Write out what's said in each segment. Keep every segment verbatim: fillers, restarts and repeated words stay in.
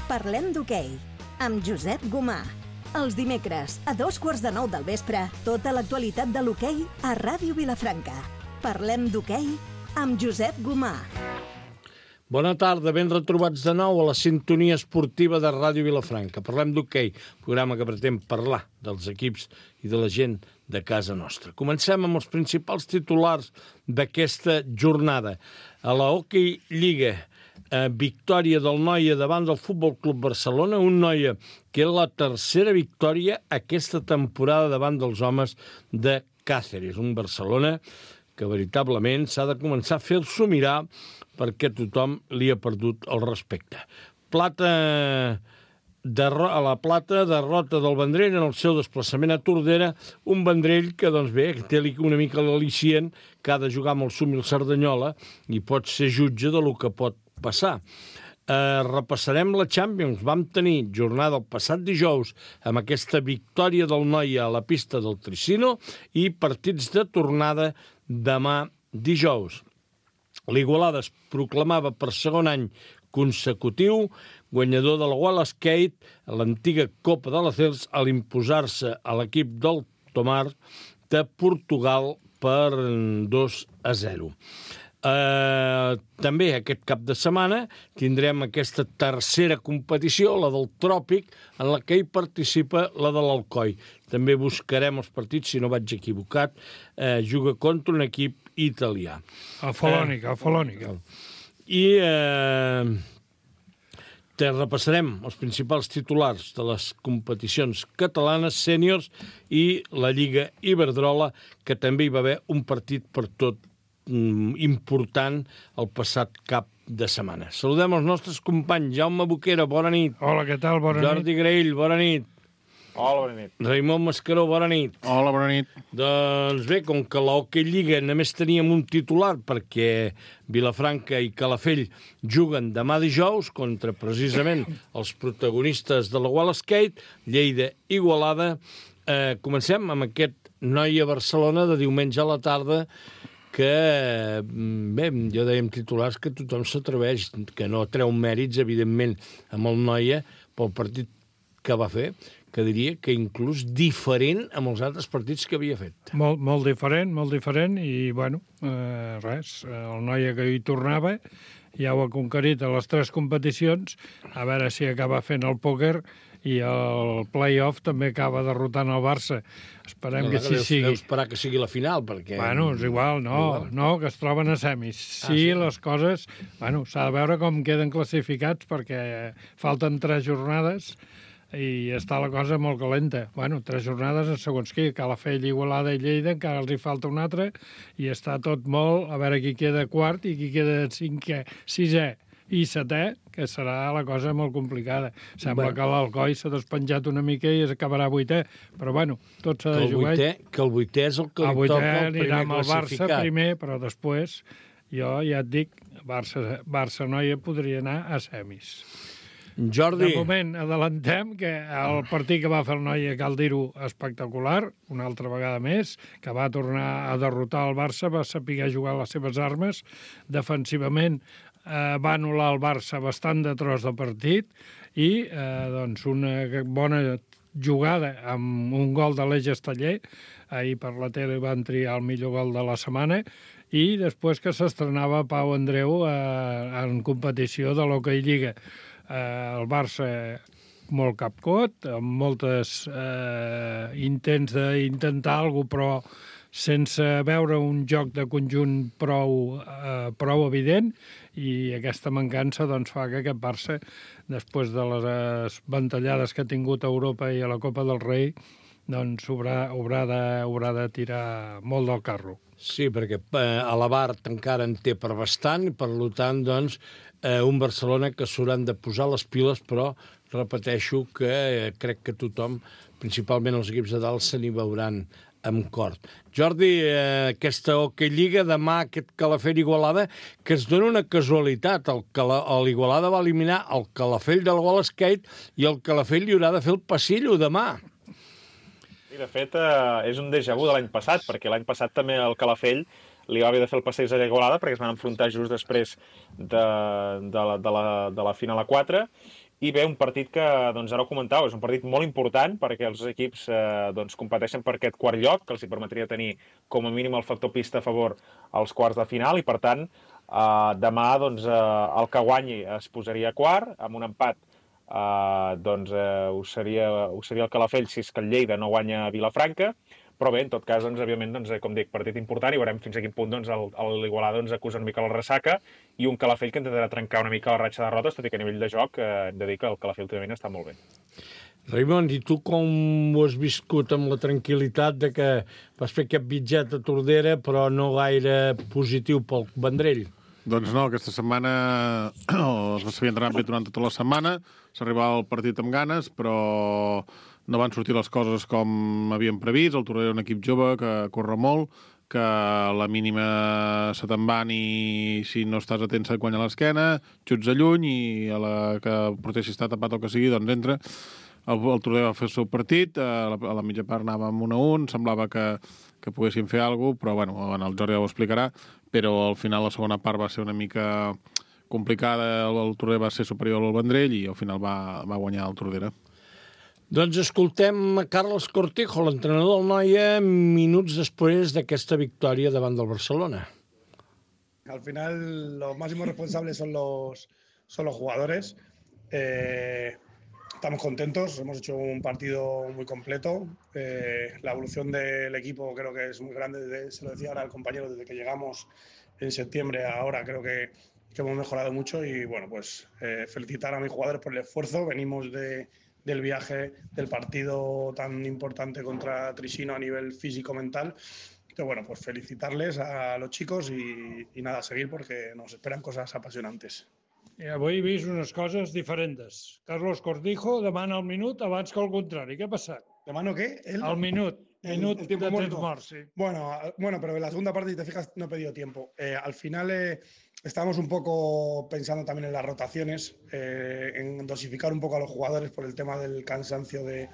Parlem d'hoquei, amb Josep Gomà. Els dimecres, a dos quarts de nou del vespre, tota l'actualitat de l'hoquei a Ràdio Vilafranca. Parlem d'hoquei amb Josep Gomà. Bona tarda, ben retrobats de nou a la sintonia esportiva de Ràdio Vilafranca. Parlem d'hoquei, programa que pretén parlar dels equips i de la gent de casa nostra. Comencem amb els principals titulars d'aquesta jornada. A la Hockey Lliga, eh, victòria del Noia davant del Futbol Club Barcelona, un Noia que és la tercera victòria aquesta temporada davant dels homes de Càceres. Un Barcelona que veritablement s'ha de començar a fer-s'ho mirar perquè tothom li ha perdut el respecte. Plata... Derro- a la Plata, derrota del Vendrell en el seu desplaçament a Tordera, un Vendrell que, doncs bé, té una mica l'al·licient que ha de jugar amb el Súmil Cerdanyola i pot ser jutge de lo que pot passar. Eh, repassarem la Champions. Vam tenir jornada el passat dijous amb aquesta victòria del Noia a la pista del Tricino i partits de tornada demà dijous. L'Igualada es proclamava per segon any consecutiu guanyador de la Wall Skate, l'antiga Copa de la C E L S, a l'imposar-se a l'equip del Tomar de Portugal per dos a zero. Eh, també aquest cap de setmana tindrem aquesta tercera competició, la del Tròpic, en la que hi participa la de l'Alcoi. També buscarem els partits, si no vaig equivocat, eh, juga contra un equip italià. A Folònica, a Folònica. I eh, te repassarem els principals titulars de les competicions catalanes, sèniors i la Lliga Iberdrola, que també hi va haver un partit per tot mm, important el passat cap de setmana. Saludem els nostres companys. Jaume Boquera, bona nit. Hola, què tal? Bona Jordi nit. Graell, bona nit. Hola, bona nit. Raimon Mascaró, bona nit. Hola, bona nit. Doncs bé, com que la Hockey Lliga només teníem un titular perquè Vilafranca i Calafell juguen demà dijous contra precisament els protagonistes de la Wall Skate, Lleida i Igualada, eh, comencem amb aquest Noia-Barcelona de diumenge a la tarda que, bé, jo dèiem titulars que tothom s'atreveix, que no treu mèrits, evidentment, amb el Noia pel partit que va fer, que diria que inclús diferent amb els altres partits que havia fet. Molt, molt diferent, molt diferent, i, bueno, eh, res, el Noia que hi tornava ja ho ha conquerit a les tres competicions, a veure si acaba fent el pòquer i el play-off també acaba derrotant el Barça. Esperem no, que així sigui. Deu esperar que sigui la final, perquè... Bueno, és igual, no, igual. no, que es troben a semis. Sí, ah, sí, les coses... Bueno, s'ha de veure com queden classificats, perquè falten tres jornades i està la cosa molt calenta. Bueno, tres jornades segons qui, Calafell, Igualada i Lleida, encara els hi falta un altre, i està tot molt, a veure qui queda quart i qui queda cinquè, sisè i setè, que serà la cosa molt complicada. Sembla bueno. que l'Alcoi s'ha despenjat una mica i es acabarà vuitè, però bueno, tot s'ha de jugar. Vuitè, que el vuitè és el que li toca el primer amb el Barça primer, però després, jo ja et dic, Barça, Barça-Noia podria anar a semis. Jordi. De moment, adelantem que el partit que va fer el Noia, cal dir-ho, espectacular, una altra vegada més, que va tornar a derrotar el Barça, va saber jugar les seves armes, defensivament eh, va anul·lar el Barça bastant de tros de partit i eh, doncs una bona jugada amb un gol de l'Eix Esteller, ahir per la tele van triar el millor gol de la setmana, i després que s'estrenava Pau Andreu eh, en competició de l'Hockey Lliga. Eh, el Barça molt capcot, amb moltes eh, intents d'intentar alguna cosa, però sense veure un joc de conjunt prou, eh, prou evident, i aquesta mancança doncs, fa que aquest Barça, després de les ventallades que ha tingut a Europa i a la Copa del Rei, doncs haurà, haurà, de, haurà de tirar molt del carro. Sí, perquè eh, a la Bart encara en té per bastant, i per tant, doncs, eh, un Barcelona que s'hauran de posar les piles, però repeteixo que eh, crec que tothom, principalment els equips de dalt, se n'hi veuran amb cort. Jordi, eh, aquesta Hockey Lliga, demà aquest Calafell Igualada, que es dona una casualitat. El Cala, l'Igualada va eliminar el Calafell del Wall Skate i el Calafell li haurà de fer el passillo demà. I de fet, eh, és un déjà vu de l'any passat, perquè l'any passat també el Calafell li va haver de fer el passeig a Igualada perquè es van enfrontar just després de, de, la, de, la, de la final a quatre. I bé, un partit que, doncs ara ho comentau, és un partit molt important perquè els equips eh, doncs, competeixen per aquest quart lloc, que els hi permetria tenir com a mínim el factor pista a favor als quarts de final, i per tant, eh, demà doncs, eh, el que guanyi es posaria quart, amb un empat eh, doncs, eh, ho, seria, ho seria el Calafell si és que el Lleida no guanya a Vilafranca, però bé, en tot cas, doncs, òbviament, doncs, com dic, partit important, i veurem fins a quin punt doncs, l'Igualada doncs, acusa una mica la ressaca, i un Calafell que intentarà trencar una mica la ratxa de derrotes, tot i que a nivell de joc eh, hem de dir que el Calafell últimament està molt bé. Raimon, i tu com ho has viscut amb la tranquil·litat de que vas fer aquest bitget a Tordera, però no gaire positiu pel Vendrell? Doncs no, aquesta setmana s'havia entrenat bé durant tota la setmana, s'arribava al partit amb ganes, però no van sortir les coses com havien previst. El Tordera és un equip jove que corre molt, que a la mínima se te'n van i si no estàs atent se't guanya l'esquena, xuts a lluny i a la que proteixi està tapat o que sigui, doncs entra. El, el Tordera va fer el seu partit, a la, a la mitja part anàvem un a un, semblava que, que poguéssim fer alguna cosa, però bueno, el Jordi ja ho explicarà, però al final la segona part va ser una mica complicada, el, el Tordera va ser superior al Vendrell i al final va, va guanyar el Tordera. Doncs escoltem a Carlos Cortijo, l'entrenador del Noia, minuts després d'aquesta victòria davant del Barcelona. Al final, los máximos responsables son los, son los jugadores. Eh, estamos contentos, hemos hecho un partido muy completo. Eh, la evolución del equipo creo que es muy grande, desde, se lo decía ahora el compañero, desde que llegamos en septiembre a ahora creo que, que hemos mejorado mucho y bueno, pues eh, felicitar a mis jugadores por el esfuerzo. Venimos de... del viaje, del partido tan importante contra Trisino a nivel físico-mental. Entonces, bueno, pues felicitarles a los chicos y, y nada, seguir porque nos esperan cosas apasionantes. I avui he vist unes coses diferents. Carlos Cortijo demana el minut abans que el contrari. Què ha passat? ¿Demano qué? El, el minut. El, minut el tiempo de muerto. temps mort, sí. Bueno, bueno, pero en la segunda parte, si te fijas, no he pedido tiempo. Eh, al final eh, estábamos un poco pensando también en las rotaciones, eh, en dosificar un poco a los jugadores por el tema del cansancio de,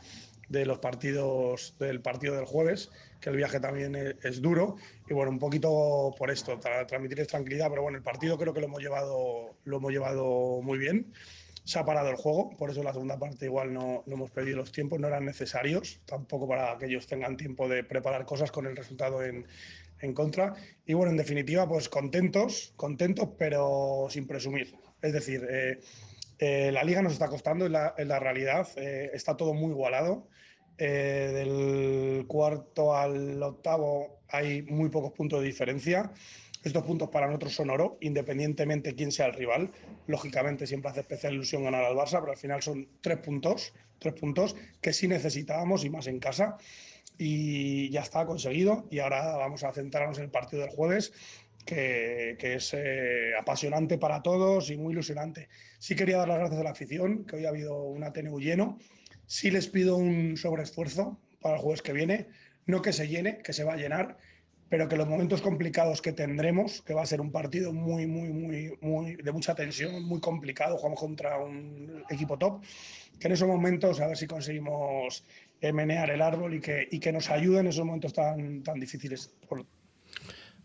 de los partidos, del partido del jueves, que el viaje también es, es duro. Y bueno, un poquito por esto, para transmitirles tranquilidad. Pero bueno, el partido creo que lo hemos llevado, lo hemos llevado muy bien. Se ha parado el juego, por eso en la segunda parte igual no, no hemos pedido los tiempos, no eran necesarios, tampoco para que ellos tengan tiempo de preparar cosas con el resultado en, en contra. Y bueno, en definitiva, pues contentos, contentos, pero sin presumir. Es decir, eh, eh, la liga nos está costando, en la, en la realidad, eh, está todo muy igualado. Eh, del cuarto al octavo hay muy pocos puntos de diferencia. Estos puntos para nosotros son oro, independientemente de quién sea el rival. Lógicamente siempre hace especial ilusión ganar al Barça, pero al final son tres puntos, tres puntos que sí necesitábamos y más en casa. Y ya está conseguido. Y ahora vamos a centrarnos en el partido del jueves, que, que es eh, apasionante para todos y muy ilusionante. Sí quería dar las gracias a la afición, que hoy ha habido un A T N U lleno. Sí les pido un sobreesfuerzo para el jueves que viene. No que se llene, que se va a llenar, pero que los momentos complicados que tendremos, que va a ser un partido muy, muy, muy, muy de mucha tensión, muy complicado, jugamos contra un equipo top, que en esos momentos a ver si conseguimos eh, menear el árbol y que, y que nos ayuden en esos momentos tan, tan difíciles.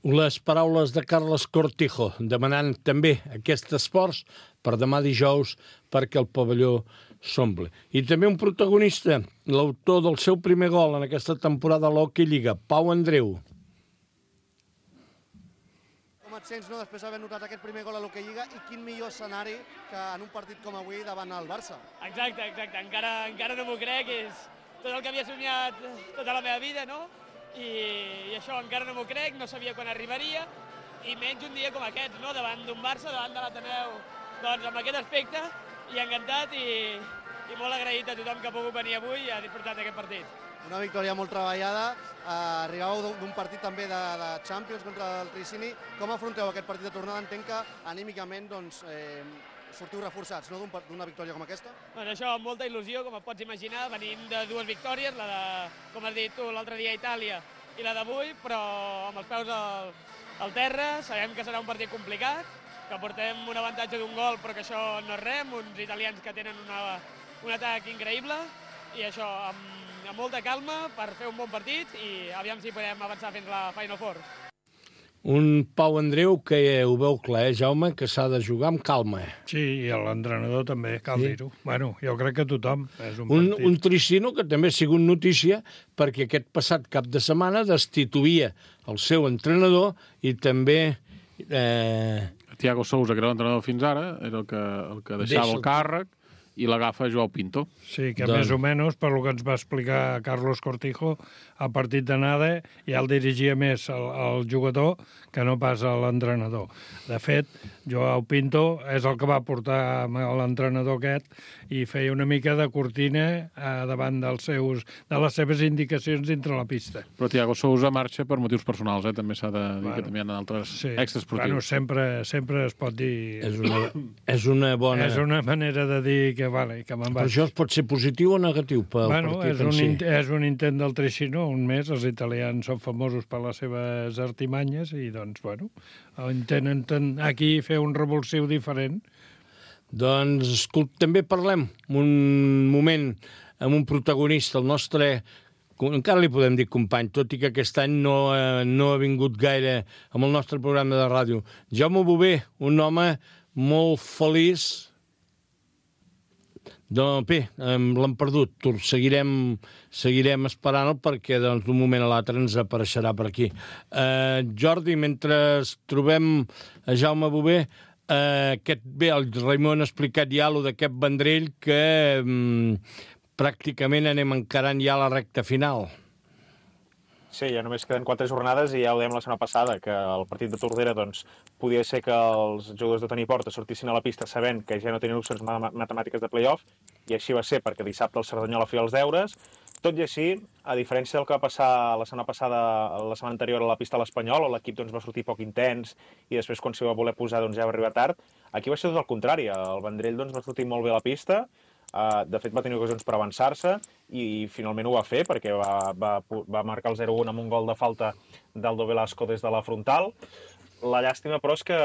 Les paraules de Carles Cortijo demanant també aquest esforç per demà dijous perquè el pavelló s'omple. I també un protagonista, l'autor del seu primer gol en aquesta temporada a l'Hockey Lliga, Pau Andreu. Com et sents, no, després d'haver notat aquest primer gol a l'Hockey Lliga, i quin millor escenari que en un partit com avui davant el Barça? Exacte, exacte. Encara, encara no m'ho crec, és tot el que havia somiat tota la meva vida, no? I, i això encara no m'ho crec, no sabia quan arribaria, i menys un dia com aquest, no? Davant d'un Barça, davant de l'Ateneu, doncs amb aquest aspecte, i encantat i, i molt agraït a tothom que ha pogut venir avui i ha disfrutat d'aquest partit. Una victòria molt treballada, eh, arribàveu d'un partit també de, de Champions contra el Tricini. Com afronteu aquest partit de tornada? Entenc que anímicament doncs, eh, sortiu reforçats, no?, d'una victòria com aquesta? Doncs això, amb molta il·lusió, com et pots imaginar, venim de dues victòries, la de, com has dit tu, l'altre dia a Itàlia i la d'avui, però amb els peus al, al terra, sabem que serà un partit complicat, que portem un avantatge d'un gol, però que això no és res, uns italians que tenen una, un atac increïble, i això, amb, amb molta calma per fer un bon partit i aviam si podem avançar fins la Final Four. Un Pau Andreu que ho veu clar, eh, Jaume, que s'ha de jugar amb calma. Sí, i l'entrenador també, cal sí. dir-ho. Bueno, jo crec que tothom és un, un partit. Un Tricino que també ha sigut notícia perquè aquest passat cap de setmana destituïa el seu entrenador i també... Eh... Thiago Sousa, que era l'entrenador fins ara, era el que, el que deixava Deixa el càrrec, i l'agafa Joao Pinto. Sí, que doncs... més o menys, per lo que ens va explicar Carlos Cortijo, al partit d'anada ja el dirigia més el, el jugador que no pas l'entrenador. De fet, Joao Pinto és el que va portar l'entrenador aquest i feia una mica de cortina eh, davant dels seus, de les seves indicacions dintre la pista. Però Thiago Sousa marxa per motius personals, eh? També s'ha de dir bueno, que també hi ha altres sí. extraesportius. Bueno, sempre, sempre es pot dir... És una, és una bona... És una manera de dir que, vale, que me'n vaig. Però això pot ser positiu o negatiu pel bueno, partit és en un si? És un intent del Tricino, un més. Els italians són famosos per les seves artimanyes i, doncs, bueno, intenten aquí fer un revulsiu diferent. Doncs, escolta, també parlem un moment amb un protagonista, el nostre, encara li podem dir company, tot i que aquest any no, eh, no ha vingut gaire amb el nostre programa de ràdio. Jaume Bové, un home molt feliç. Doncs bé, l'hem perdut. Seguirem, seguirem esperant-lo perquè doncs, d'un moment a l'altre ens apareixerà per aquí. Uh, Jordi, mentre trobem a Jaume Bové, uh, aquest, bé, el Raimon ha explicat ja allò d'aquest Vendrell que um, pràcticament anem encarant ja la recta final. Sí, ja només queden quatre jornades i ja ho dèiem la setmana passada, que el partit de Tordera doncs, podia ser que els jugadors de tenir porta sortissin a la pista sabent que ja no tenien opcions matemàtiques de play-off, i així va ser, perquè dissabte el Cerdanyola feia els deures. Tot i així, a diferència del que va passar la setmana passada, la setmana anterior a la pista de l'Espanyol, on l'equip doncs, va sortir poc intens i després quan s'hi va voler posar doncs, ja va arribar tard, aquí va ser tot el contrari. El Vendrell doncs, va sortir molt bé a la pista. Uh, de fet, va tenir ocasions per avançar-se i finalment ho va fer perquè va, va, va marcar el zero un amb un gol de falta d'Aldo Velasco des de la frontal. La llàstima, però, és que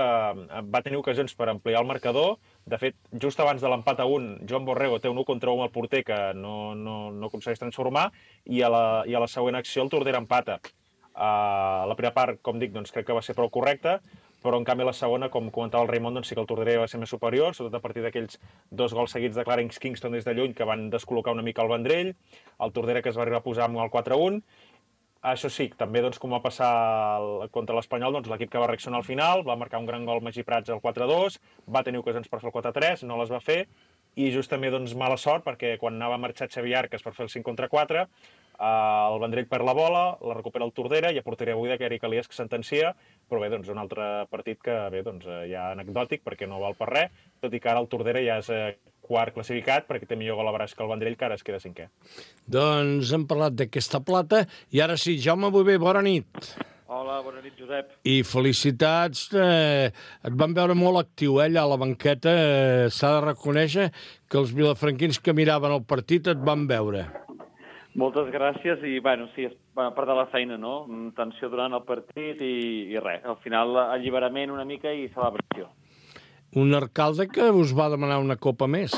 va tenir ocasions per ampliar el marcador. De fet, just abans de l'empat a un, Joan Borrego té un u contra un al porter que no, no, no aconsegueix transformar i a la, i a la següent acció el Tordera empata. Uh, la primera part, com dic, doncs, crec que va ser prou correcta, però en canvi la segona, com comentava el Raimon, doncs sí que el Tordera va ser més superior, sobretot a partir d'aquells dos gols seguits de Clarence Kingston des de lluny que van descol·locar una mica el Vendrell, el Tordera que es va arribar a posar amb el quatre un. Això sí, també doncs, com va passar el, contra l'Espanyol, doncs, l'equip que va reaccionar al final, va marcar un gran gol Magí Prats al quatre dos, va tenir ocasions per fer el quatre tres, no les va fer, i just també doncs, mala sort, perquè quan anava a marxar Xavi Arcas per fer el cinc contra quatre, eh, el Vendrell perd la bola, la recupera el Tordera, i a porteria buida que Eric Elias que sentencia, però bé, doncs, un altre partit que bé, doncs, ja anecdòtic, perquè no val per res, tot i que ara el Tordera ja és eh, quart classificat, perquè té millor gol a braç que el Vendrell, que ara es queda cinquè. Doncs hem parlat d'aquesta plata, i ara sí, Jaume Bové, bona nit. Hola, bona nit, Josep. I felicitats, eh, et van veure molt actiu, eh, allà a la banqueta, eh, s'ha de reconèixer que els vilafranquins que miraven el partit et van veure. Moltes gràcies i, bueno, sí, és part de la feina, no? Tensió durant el partit i, i res. Al final, alliberament una mica i celebració. Un alcalde que us va demanar una copa més.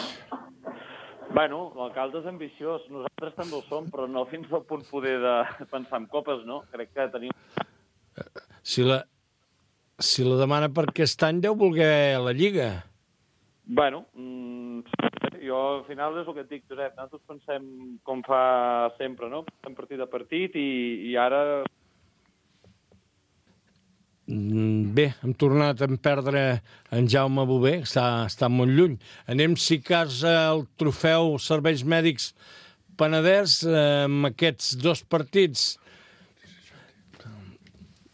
Bueno, l'alcalde és ambiciós. Nosaltres també ho som, però no fins al punt poder de pensar en copes, no? Crec que tenim... Si la, si la demana per aquest any deu voler la Lliga. Bueno, mmm, jo al final és el que et dic, Josep, nosaltres pensem com fa sempre, no? Pensem partit a partit i, i ara... Bé, hem tornat a perdre en Jaume Bové, està, està molt lluny. Anem, si cas, al trofeu Serveis Mèdics Penedès amb aquests dos partits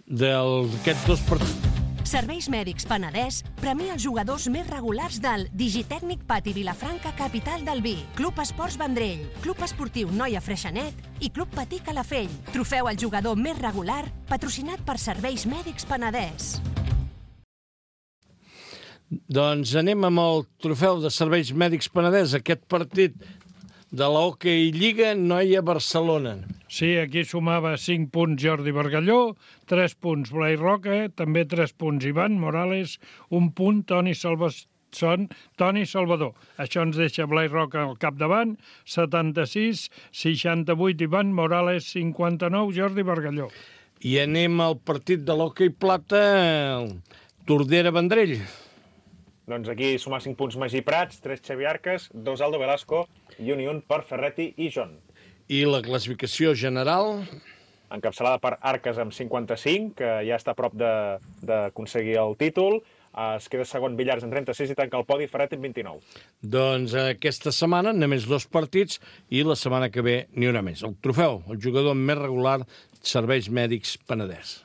d'aquests dos partits. Serveis Mèdics Penedès premia els jugadors més regulars del Digitècnic Pati Vilafranca, capital del vi, Club Esports Vendrell, Club Esportiu Noia Freixenet i Club Patí Calafell. Trofeu al jugador més regular, patrocinat per Serveis Mèdics Penedès. Doncs anem amb el trofeu de Serveis Mèdics Penedès, aquest partit de l'Hockey Lliga Noia-Barcelona. Sí, aquí sumava cinc punts Jordi Bargalló, tres punts Blai Roca, també tres punts Ivan Morales, un punt Toni Salvador. Són Toni Salvador. Això ens deixa Blai Roca al capdavant, setanta-sis, seixanta-vuit Ivan Morales, cinquanta-nou Jordi Bargalló. I anem al partit de l'hoquei plata, Tordera-Vendrell. Doncs aquí sumar cinc punts Magí Prats, tres Xavi Arcas, dos Aldo Velasco i un i un per Ferretti i John. I la classificació general? Encapçalada per Arcas amb cinquanta-cinc, que ja està a prop d'aconseguir el títol. Es queda segon Villars amb trenta-sis i tanca el podi Ferretti amb vint-i-nou. Doncs aquesta setmana només dos partits i la setmana que ve n'hi haurà més. El trofeu, el jugador més regular, Serveis Mèdics Penedès.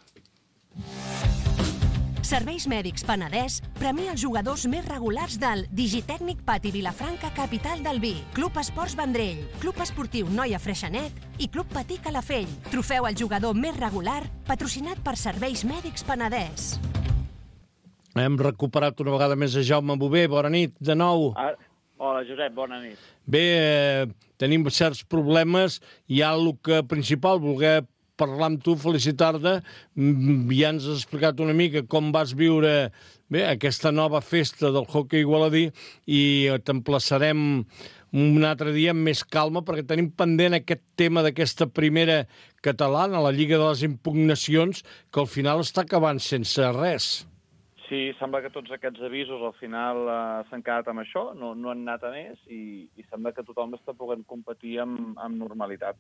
Serveis Mèdics Penedès premia els jugadors més regulars del Digitècnic Pati Vilafranca, capital del vi, Club Esports Vendrell, Club Esportiu Noia Freixenet i Club Patí Calafell. Trofeu al jugador més regular, patrocinat per Serveis Mèdics Penedès. Hem recuperat una vegada més a Jaume Bové. Bona nit, de nou. Ah, hola, Josep, bona nit. Bé, eh, tenim certs problemes. Hi ha el que principal, voler parlar amb tu, felicitar-te. Ja ens has explicat una mica com vas viure bé, aquesta nova festa del hoquei igualadí i t'emplaçarem un altre dia amb més calma perquè tenim pendent aquest tema d'aquesta primera catalana, la Lliga de les Impugnacions, que al final està acabant sense res. Sí, sembla que tots aquests avisos al final eh, s'han quedat amb això, no, no han anat a més i, i sembla que tothom està podent competir amb, amb normalitat.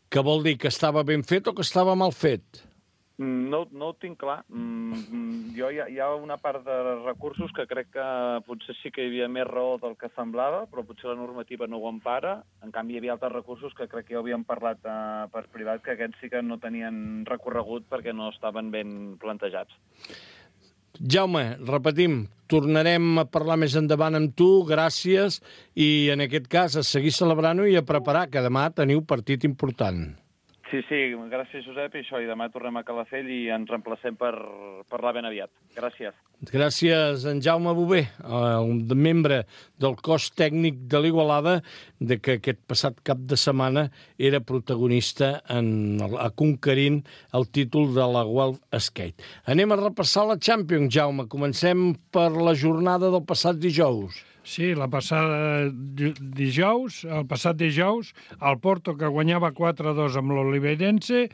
Què vol dir, que estava ben fet o que estava mal fet? No, no ho tinc clar. Mm, jo hi ha, hi ha una part de recursos que crec que potser sí que hi havia més raó del que semblava, però potser la normativa no ho empara. En canvi, hi havia altres recursos que crec que ja havíem parlat eh, per privat, que aquests sí que no tenien recorregut perquè no estaven ben plantejats. Jaume, repetim, tornarem a parlar més endavant amb tu, gràcies, i en aquest cas a seguir celebrant-ho i a preparar, que demà teniu partit important. Sí, sí, gràcies, Josep, i això, i demà tornem a Calafell i ens reemplacem per parlar ben aviat. Gràcies. Gràcies, en Jaume Bové, el membre del cos tècnic de l'Igualada, de que aquest passat cap de setmana era protagonista en, a conquerint el títol de la World Skate. Anem a repassar la Champions, Jaume. Comencem per la jornada del passat dijous. Sí, la passada dijous, el passat dijous, el Porto, que guanyava quatre a dos amb l'Oliveirense,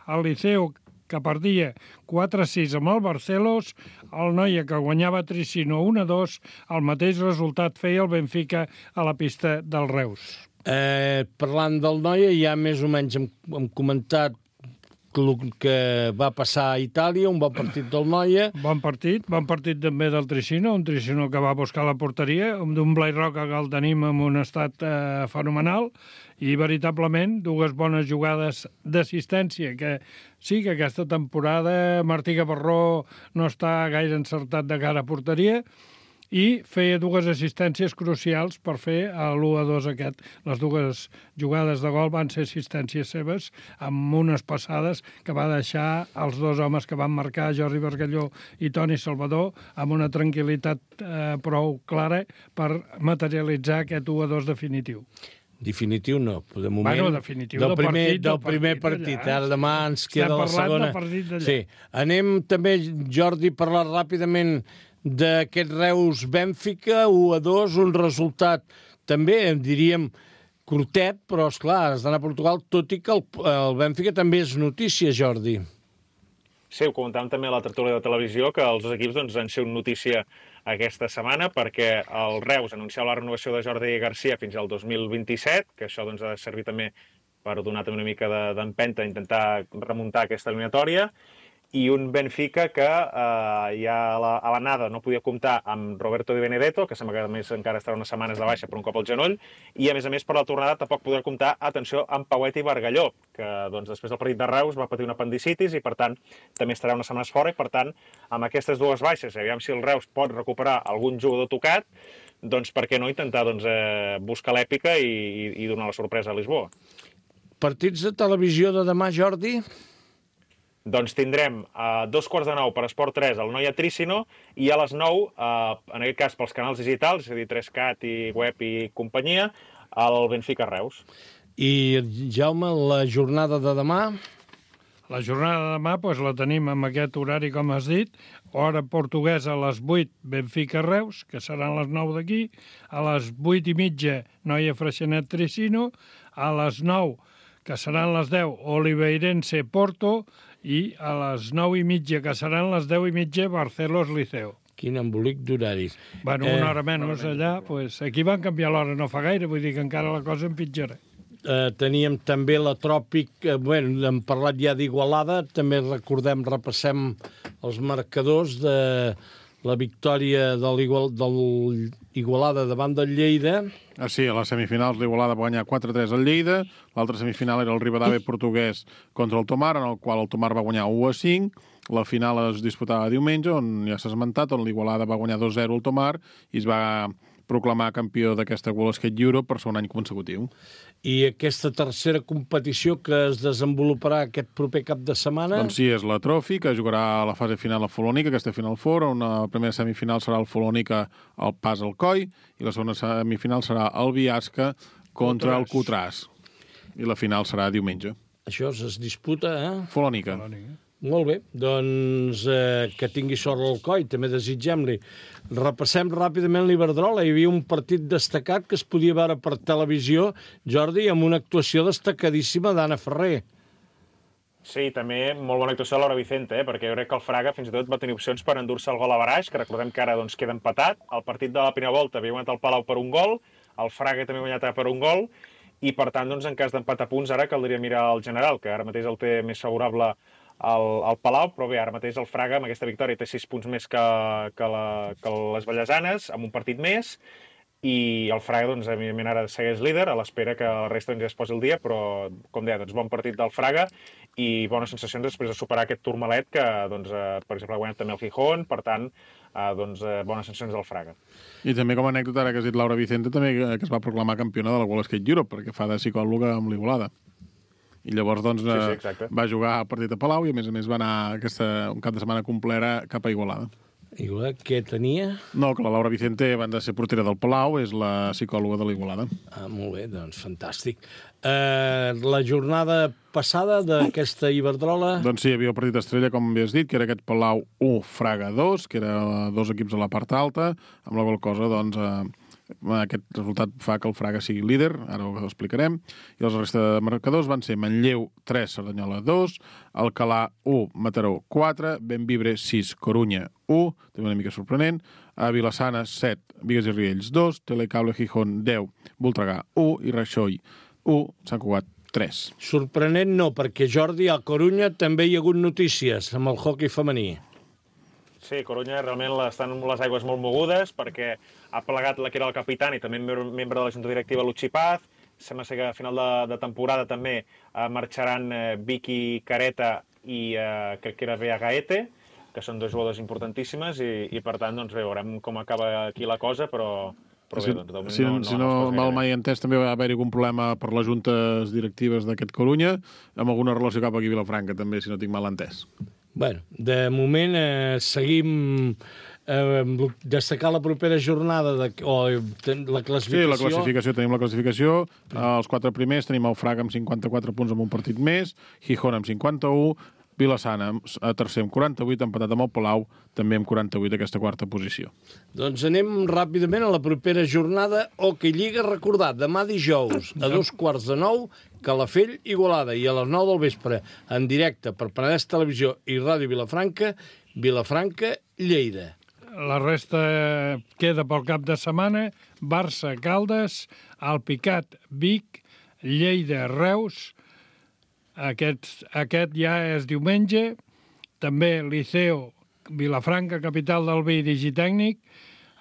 el Liceo, que perdia quatre a sis amb el Barcelos, el Noia, que guanyava Tricino un a dos, el mateix resultat feia el Benfica a la pista del Reus. Eh, parlant del Noia, ja més o menys hem, hem comentat el que va passar a Itàlia, un bon partit del Noia. Bon partit, bon partit també del Tricino, un Tricino que va buscar la porteria, d'un Blai Roca que el tenim en un estat eh, fenomenal, i veritablement dues bones jugades d'assistència, que sí que aquesta temporada Martí Gavarró no està gaire encertat de cara a porteria, i feia dues assistències crucials per fer l'u a dos aquest. Les dues jugades de gol van ser assistències seves amb unes passades que va deixar els dos homes que van marcar, Jordi Bargalló i Toni Salvador, amb una tranquil·litat eh, prou clara per materialitzar aquest u a dos definitiu. Definitiu no, de moment... Bueno, definitiu del del primer, partit, del del primer partit partit. d'allà. Ara demà ens queda la segona. Estem parlant del partit d'allà. Sí. Anem també, Jordi, a parlar ràpidament d'aquest Reus-Bènfica, u a dos, un resultat també, diríem, curtet, però, esclar, has d'anar a Portugal, tot i que el, el Bènfica també és notícia, Jordi. Sí, ho comentàvem també a la tertúlia de televisió, que els dos equips doncs, han sigut notícia aquesta setmana perquè el Reus anunciava la renovació de Jordi Garcia fins al dos mil vint-i-set, que això doncs, ha de servir també per donar també una mica d'empenta, de, intentar remuntar aquesta eliminatòria, i un Benfica que eh, ja a la, a l'anada no podia comptar amb Roberto Di Benedetto, que sembla que a més encara estarà unes setmanes de baixa per un cop al genoll, i a més a més per la tornada tampoc podrà comptar, atenció, amb Pauet i Bargalló, que doncs, després del partit de Reus va patir una apendicitis i per tant també estarà unes setmanes fora, i per tant amb aquestes dues baixes, aviam si el Reus pot recuperar algun jugador tocat, doncs per què no intentar doncs, eh, buscar l'èpica i, i, i donar la sorpresa a Lisboa. Partits de televisió de demà, Jordi? Doncs tindrem a dos quarts de nou per Esport tres el Noia Tricino i a les nou, eh, en aquest cas pels canals digitals, és a dir, tres cat i web i companyia, el Benfica Reus. I, Jaume, la jornada de demà? La jornada de demà doncs, la tenim amb aquest horari, com has dit, hora portuguesa a les vuit, Benfica Reus, que seran les nou d'aquí, a les vuit i mitja, Noia Freixenet Tricino, a les nou, que seran les deu, Oliveirense Porto, i a les nou i mitja, que seran les deu i mitja, Barcelos Liceo. Quin embolic d'horaris. Bueno, eh, una hora menys allà, pues, aquí van canviar l'hora no fa gaire, vull dir que encara la cosa empitjora. Eh, teníem també la Tròpic, eh, bueno, hem parlat ja d'Igualada, també recordem, repassem els marcadors de la victòria de l'Igualada davant del Lleida. Ah, sí, a les semifinals l'Igualada va guanyar quatre a tres al Lleida, l'altra semifinal era el Rivadavia portuguès contra el Tomar, en el qual el Tomar va guanyar u a cinc, la final es disputava diumenge, on ja s'ha esmentat, on l'Igualada va guanyar dos a zero al Tomar i es va proclamar campió d'aquesta World Skate Europe per segon any consecutiu. I aquesta tercera competició que es desenvoluparà aquest proper cap de setmana? Doncs sí, és la Trophy, que jugarà a la fase final a Folònica, aquesta Final Four, on la primera semifinal serà el Folònica al Pas al Coi, i la segona semifinal serà el Biasca contra el Cutràs. I la final serà diumenge. Això es disputa, eh? Folònica. Molt bé, doncs eh, que tingui sort al Coi, també desitgem-li. Repassem ràpidament l'Iberdrola. Hi havia un partit destacat que es podia veure per televisió, Jordi, amb una actuació destacadíssima d'Anna Ferrer. Sí, també molt bona actuació de Laura Vicente, eh? Perquè jo crec que el Fraga fins i tot va tenir opcions per endur-se el gol a baraix, que recordem que ara doncs, queda empatat. El partit de la primera volta havia guanyat el Palau per un gol, el Fraga també ha guanyat per un gol, i per tant, doncs, en cas d'empat a punts, ara caldria mirar el general, que ara mateix el té més favorable al, al Palau, però bé, ara mateix el Fraga amb aquesta victòria té sis punts més que, que, la, que les Vallesanes, amb un partit més, i el Fraga, doncs, evidentment, ara segueix líder, a l'espera que la resta doncs, ja es posi el dia, però, com deia, doncs, bon partit del Fraga i bones sensacions després de superar aquest Tourmalet, que, doncs, eh, per exemple, ha guanyat també el Gijón, per tant, eh, doncs, eh, bones sensacions del Fraga. I també com a anècdota, ara que has dit Laura Vicente, també que es va proclamar campiona de la World Skate Europe, perquè fa de psicòloga amb l'Igualada. I llavors doncs, sí, sí, va jugar al partit a Palau i, a més a més, va anar aquesta, un cap de setmana complera cap a Igualada. Igualada, què tenia? No, que la Laura Vicente, a banda de ser portera del Palau, és la psicòloga de l'Igualada. Ah, molt bé, doncs fantàstic. Eh, la jornada passada d'aquesta Iberdrola... Doncs sí, hi havia el partit estrella, com havies dit, que era aquest Palau u, Fraga dos, que era dos equips a la part alta, amb la qual cosa, doncs... Eh, aquest resultat fa que el Fraga sigui líder, ara ho explicarem, i els resta de marcadors van ser Manlleu tres, Cerdanyola dos, Alcalà u, Mataró quatre, Benvibre sis, Corunya u, també una mica sorprenent, a Vilassana set, Bigues i Riells dos, Telecable Gijón deu, Voltregà u i Raixoll u, Sant Cugat tres. Sorprenent no, perquè Jordi, a Corunya també hi ha hagut notícies amb el hoquei femení. Sí, Corunya realment estan amb les aigües molt mogudes perquè ha plegat la que era el capitán i també membre de la junta directiva Luchi Paz. Sembla ser que a final de, de temporada també eh, marxaran eh, Vicky Careta i eh, crec que era Bea Gaete, que són dos jugadors importantíssimes i, i per tant doncs, veurem com acaba aquí la cosa, però... Però si, bé, doncs, si, no, no, si no, no mal mai entès, també va haver-hi algun problema per les juntes directives d'aquest Corunya, amb alguna relació cap aquí a Vilafranca, també, si no tinc mal entès. Bueno, de moment eh, seguim eh, destacar la propera jornada de, o la classificació. Sí, la classificació, tenim la classificació. Els quatre primers tenim el Fraga amb cinquanta-quatre punts amb un partit més, Gijón amb cinquanta-u, Vilassana a tercer amb quaranta-vuit, empatat amb el Palau, també amb quaranta-vuit aquesta quarta posició. Doncs anem ràpidament a la propera jornada. Hoquei Lliga, recordar, demà dijous a dos quarts de nou, Calafell, Igualada, i a les nou del vespre, en directe per Penedès Televisió i Ràdio Vilafranca, Vilafranca, Lleida. La resta queda pel cap de setmana, Barça, Caldes, Alpicat, Vic, Lleida, Reus. Aquest, aquest ja és diumenge, també Liceo, Vilafranca, capital del vi, Digitècnic,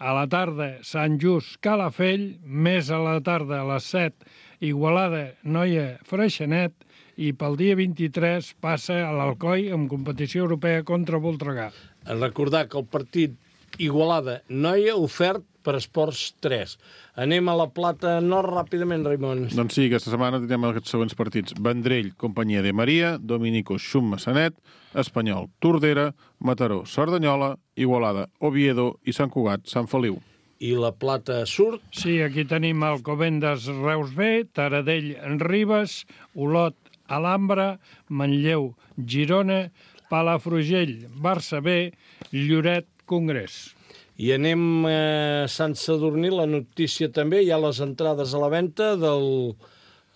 a la tarda Sant Just, Calafell, més a la tarda a les set, Igualada, Noia, Freixenet, i pel dia vint-i-tres passa a l'Alcoi amb competició europea contra Voltregà. Recordar que el partit Igualada-Noia ofert per Esports tres. Anem a la Plata Nord ràpidament, Raimon. Doncs sí, aquesta setmana tindrem aquests següents partits. Vendrell, Companyia de Maria, Dominico, Xum, Massanet, Espanyol, Tordera, Mataró, Cerdanyola, Igualada, Oviedo i Sant Cugat, Sant Feliu. I la Plata Surt? Sí, aquí tenim Alcobendas, Reus B, Taradell, Ribes, Olot, Alhambra, Manlleu, Girona, Palafrugell, Barça B, Lloret, Congrés. I anem a Sant Sadurní, la notícia també, hi ha les entrades a la venda del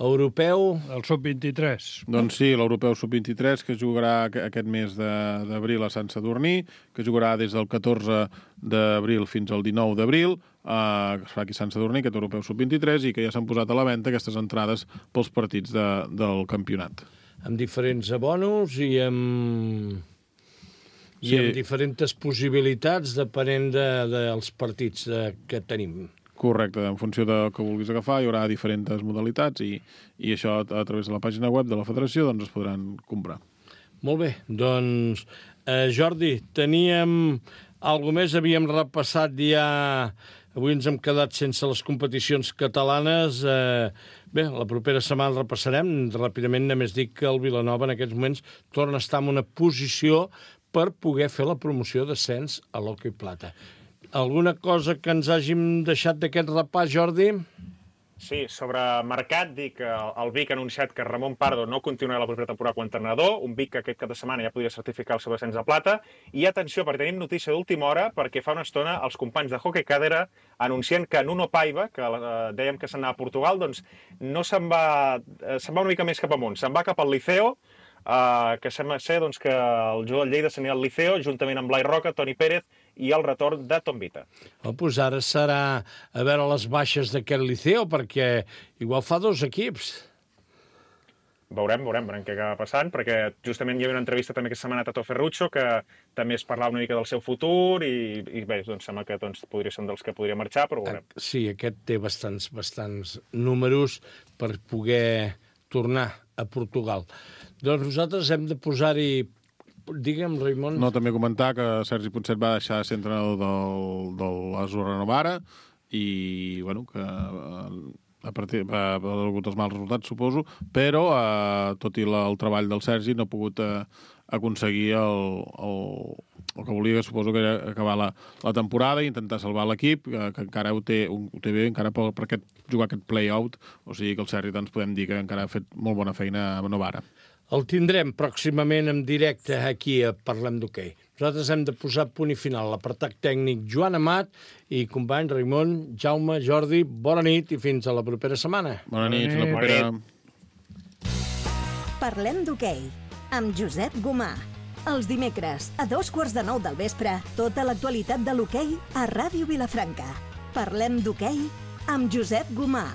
Europeu... El sub vint-i-tres. Doncs sí, l'Europeu sub vint-i-tres, que jugarà aquest mes d'abril a Sant Sadurní, que jugarà des del catorze d'abril fins al dinou d'abril, eh, que es fa aquí a Sant Sadurní, aquest Europeu sub vint-i-tres, i que ja s'han posat a la venda aquestes entrades pels partits de, del campionat. Amb diferents abonos i amb... i Sí. amb diferents possibilitats depenent de, dels partits de, que tenim. Correcte, en funció del que vulguis agafar hi haurà diferents modalitats i, i això a través de la pàgina web de la federació doncs es podran comprar. Molt bé, doncs eh, Jordi, teníem alguna més, havíem repassat ja, avui ens hem quedat sense les competicions catalanes, eh, bé, la propera setmana repassarem, ràpidament només dic que el Vilanova en aquests moments torna a estar en una posició per poder fer la promoció d'ascens a l'hoquei plata. Alguna cosa que ens hàgim deixat d'aquest repàs, Jordi? Sí, sobre mercat, dic que el Vic ha anunciat que Ramon Pardo no continuarà la propera temporada com a entrenador, un Vic que aquest cap de setmana ja podria certificar el seu ascens a plata, i atenció, perquè tenim notícia d'última hora, perquè fa una estona els companys de Hockey Cadera anuncien que Nuno Paiva, que eh, dèiem que se'n anava a Portugal, doncs no se'n va, eh, se'n va una mica més cap amunt, se'n va cap al Liceo, Uh, que sembla ser doncs, que el jugador del Lleida s'anirà al Liceo, juntament amb Blai Roca, Toni Pérez i el retorn de Tom Vita. Oh, doncs ara serà a veure les baixes d'aquest Liceo, perquè igual fa dos equips. Veurem, veurem, veurem què acaba passant, perquè justament hi havia una entrevista també aquesta setmana a Tato Ferruccio, que també es parlava una mica del seu futur, i, i bé, doncs sembla que doncs, podria ser un dels que podria marxar, però veurem. Sí, aquest té bastants, bastants números per poder tornar a Portugal. Doncs nosaltres hem de posar-hi... Digue'm, Raimon... No, també comentar que Sergi Ponset va deixar de ser entrenador del, de l'Azurra Novara i, bueno, que a partir ha hagut els mals resultats, suposo, però, eh, tot i la, el treball del Sergi, no ha pogut eh, aconseguir el, el, el que volia, que suposo que era acabar la, la temporada i intentar salvar l'equip, que, que encara ho té, ho té bé, encara per, per aquest, jugar aquest play-out, o sigui que el Sergi doncs, podem dir que encara ha fet molt bona feina a Novara. El tindrem pròximament en directe aquí a Parlem d'Hoquei. Nosaltres hem de posar punt i final. L'apartat tècnic Joan Amat i company Raimon, Jaume, Jordi, bona nit i fins a la propera setmana. Bona nit, fins la propera. Parlem d'Hoquei amb Josep Gomà. Els dimecres, a dos quarts de nou del vespre, tota l'actualitat de l'hoquei a Ràdio Vilafranca. Parlem d'Hoquei amb Josep Gomà.